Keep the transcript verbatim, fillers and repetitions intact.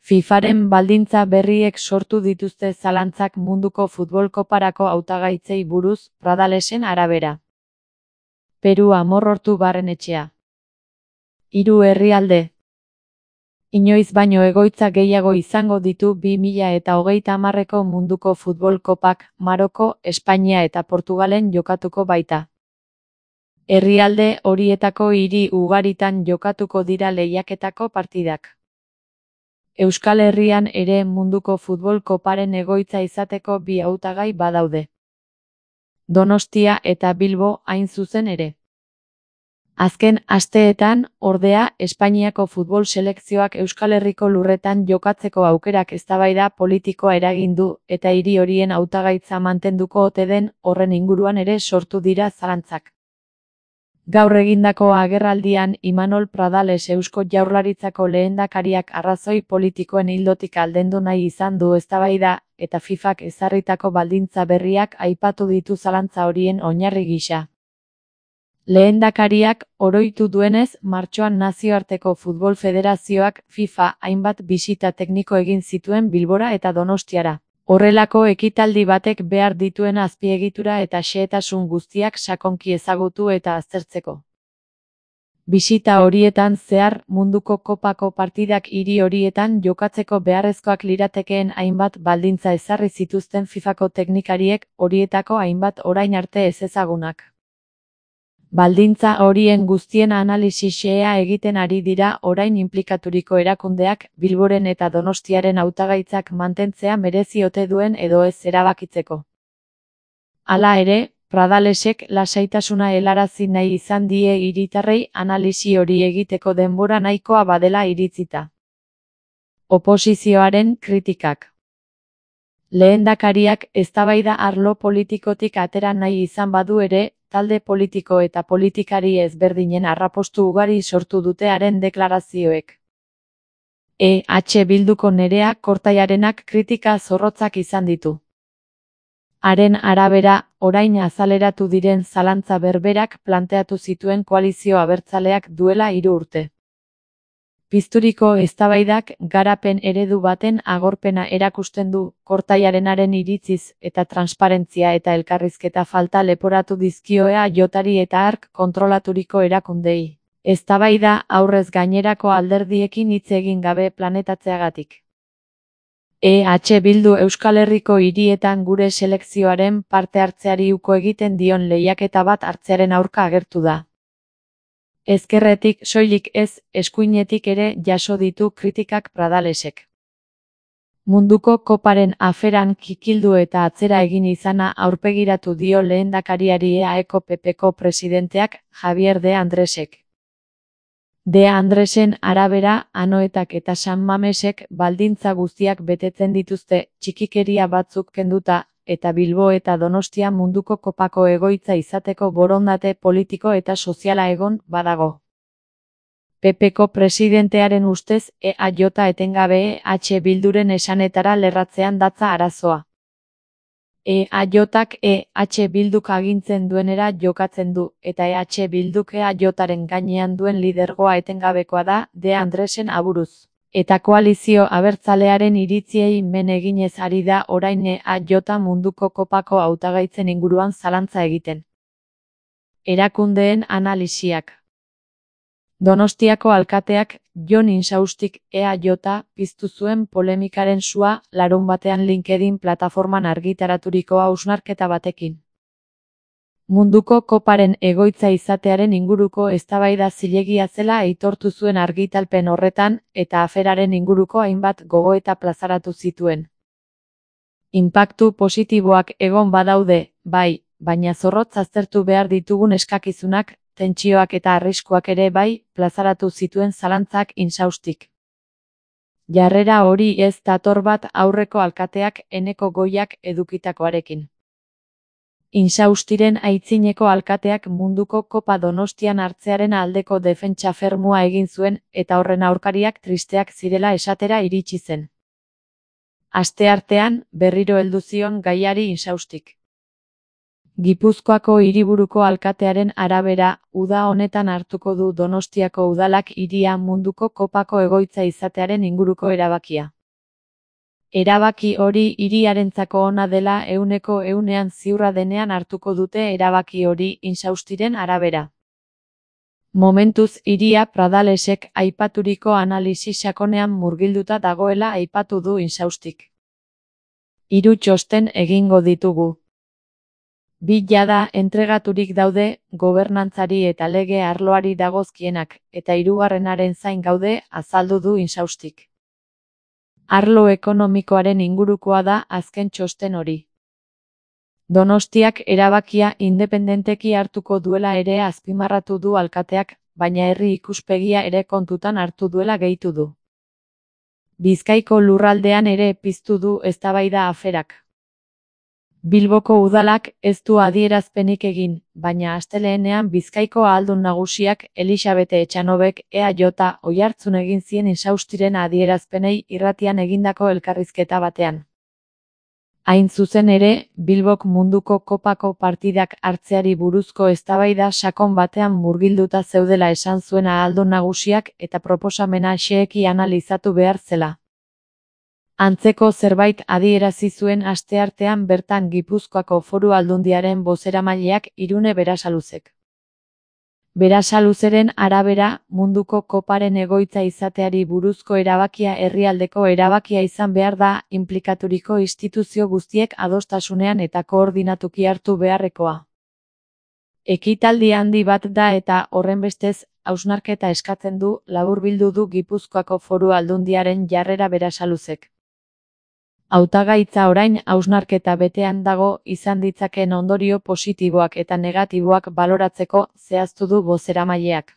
FIFAren baldintza berriek sortu dituzte zalantzak munduko futbol koparako hautagaitzei buruz, Pradalesen arabera. Peru amorrortu barrenetxea. Hiru herrialde. Inoiz baino egoitza gehiago izango ditu bi mila eta hogeita hamarreko munduko futbol kopak, Maroko, Espainia eta Portugalen jokatuko baita. Herrialde horietako hiri ugaritan jokatuko dira lehiaketako partidak. Euskal Herrian ere munduko futbol koparen egoitza izateko bi hautagai badaude. Donostia eta Bilbo hain zuzen ere. Azken asteetan, ordea, Espainiako futbol selekzioak Euskal Herriko lurretan jokatzeko aukerak eztabaida politikoa eragin du eta hiri horien hautagaitza mantenduko ote den horren inguruan ere sortu dira zalantzak. Gaur egindako agerraldian Imanol Pradales Eusko Jaurlaritzako lehendakariak arrazoi politikoen ildotik aldendu nahi izan du eztabaida eta FIFAk ezarritako baldintza berriak aipatu ditu zalantza horien oinarri gisa. Lehendakariak oroitu duenez, martxoan Nazioarteko Futbol Federazioak FIFA hainbat bisita tekniko egin zituen Bilbora eta Donostiara. Horrelako ekitaldi batek behar dituen azpiegitura eta xehetasun guztiak sakonki ezagutu eta aztertzeko. Bisita horietan zehar munduko kopako partidak hiri horietan jokatzeko beharrezkoak liratekeen hainbat baldintza ezarri zituzten FIFAko teknikariek, horietako hainbat orain arte ezezagunak. Baldintza horien guztien analisi xehea egiten ari dira orain inplikaturiko erakundeak Bilboren eta Donostiaren hautagaitzak mantentzea merezi ote duen edo ez erabakitzeko. Hala ere, Pradalesek lasaitasuna helarazi nahi izan die hiritarrei analisi hori egiteko denbora nahikoa badela iritzita. Oposizioaren kritikak. Lehendakariak eztabaida arlo politikotik atera nahi izan badu ere, talde politiko eta politikari ezberdinen arrapostu ugari sortu dute haren deklarazioek. E H Bilduko Nerea Kortaiarenak kritika zorrotzak izan ditu. Haren arabera, orain azaleratu diren zalantza berberak planteatu zituen koalizio abertzaleak duela hiru urte. Pizturiko eztabaidak garapen eredu baten agorpena erakusten du, Kortaiarenaren iritziz eta transparentzia eta elkarrizketa falta leporatu dizkioea jotari eta hark kontrolaturiko erakundei. Eztabaida aurrez gainerako alderdiekin hitz egin gabe planetatzeagatik. E H Bildu Euskal Herriko hirietan gure selekzioaren parte hartzeari uko egiten dion lehiaketa bat hartzearen aurka agertu da. Ezkerretik soilik ez, eskuinetik ere jaso ditu kritikak Pradalesek. Munduko koparen aferan kikildu eta atzera egin izana aurpegiratu dio lehendakariari E A Eko P Pko presidenteak Javier de Andresek. De Andresen arabera, Anoetak eta San Mamesek baldintza guztiak betetzen dituzte, txikikeria batzuk kenduta, eta Bilbo eta Donostia munduko kopako egoitza izateko borondate politiko eta soziala egon badago. P Pko presidentearen ustez, E A J etengabe E H Bilduren esanetara lerratzean datza arazoa. E A Jak E H Bilduk agintzen duenera jokatzen du, eta E H Bilduk E A Jaren gainean duen lidergoa etengabekoa da, De Andresen aburuz. Eta koalizio abertzalearen iritziei men eginez ari da orain E A J munduko kopako hautagaitzen inguruan zalantza egiten. Erakundeen analisiak. Donostiako alkateak, Jon Insaustik E A J piztu zuen polemikaren sua larunbatean LinkedIn plataforman argitaraturiko hausnarketa batekin. Munduko koparen egoitza izatearen inguruko eztabaida zilegia zela aitortu zuen argitalpen horretan eta aferaren inguruko hainbat gogoeta plazaratu zituen. Inpaktu positiboak egon badaude, bai, baina zorrotz aztertu behar ditugun eskakizunak, tentsioak eta arriskuak ere bai, plazaratu zituen zalantzak Insaustik. Jarrera hori ez dator bat aurreko alkateak Eneko Goiak edukitakoarekin. Insaustiren aitzineko alkateak munduko kopa Donostian hartzearen aldeko defentsa fermua egin zuen eta horren aurkariak tristeak zirela esatera iritsi zen. Asteartean, berriro heldu zion gaiari Insaustik. Gipuzkoako hiriburuko alkatearen arabera, uda honetan hartuko du Donostiako udalak hiria munduko kopako egoitza izatearen inguruko erabakia. Erabaki hori hiriarentzako ona dela ehuneko ehunean ziurra denean hartuko dute erabaki hori Insaustiren arabera. Momentuz hiria Pradalesek aipaturiko analisi sakonean murgilduta dagoela aipatu du Insaustik. Hiru txosten egingo ditugu. Bi jada entregaturik daude, gobernantzari eta lege arloari dagozkienak, eta hirugarrenaren zain gaude, azaldu du Insaustik. Arlo ekonomikoaren ingurukoa da azken txosten hori. Donostiak erabakia independenteki hartuko duela ere azpimarratu du alkateak, baina herri ikuspegia ere kontutan hartu duela gehitu du. Bizkaiko lurraldean ere piztu du eztabaida aferak. Bilboko udalak ez du adierazpenik egin, baina astelehenean Bizkaiko ahaldun nagusiak Elisabete Etxanobek E A J oihartzun egin zien Insaustiren adierazpenei irratian egindako elkarrizketa batean. Hain zuzen ere, Bilbok munduko kopako partidak hartzeari buruzko eztabaida sakon batean murgilduta zeudela esan zuen ahaldun nagusiak eta proposamena xeheki analizatu behar zela. Antzeko zerbait adierazi zuen asteartean bertan Gipuzkoako Foru Aldundiaren bozeramaileak Irune Berasaluzek. Berasaluzeren arabera, munduko koparen egoitza izateari buruzko erabakia herrialdeko erabakia izan behar da, inplikaturiko instituzio guztiek adostasunean eta koordinatuki hartu beharrekoa. Ekitaldi handi bat da eta, horrenbestez, hausnarketa eskatzen du, laburbildu du Gipuzkoako Foru Aldundiaren jarrera Berasaluzek. Hautagaitza orain hausnarketa betean dago, izan ditzakeen ondorio positiboak eta negatiboak baloratzeko, zehaztu du bozeramaileak.